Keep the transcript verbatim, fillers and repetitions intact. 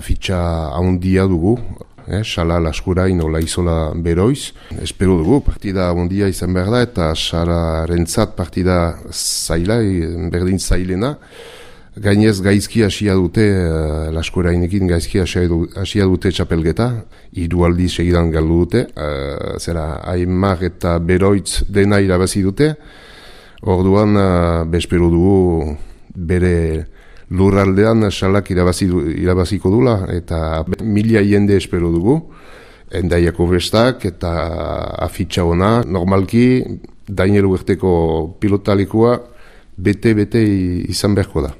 afitxa handia dugu, eh, Sala Laskurain Ola Izola Beroiz. Espero dugu, partida handia izan behar da, eta Salarentzat partida zaila, berdin zailena. Gainez gaizki hasia dute, uh, Laskurainekin gaizki hasia dute txapelgeta, hiru aldi segidan galdu dute, uh, zera Aimar eta Beroitz dena irabazi dute, orduan uh, bespero dugu bere lurraldean Salak irabazi, irabaziko dula, eta mila jende espero dugu, Endaiako bestak eta afitxa ona, normalki Dainel Uerteko pilotalikoa bete-bete izan beharko da.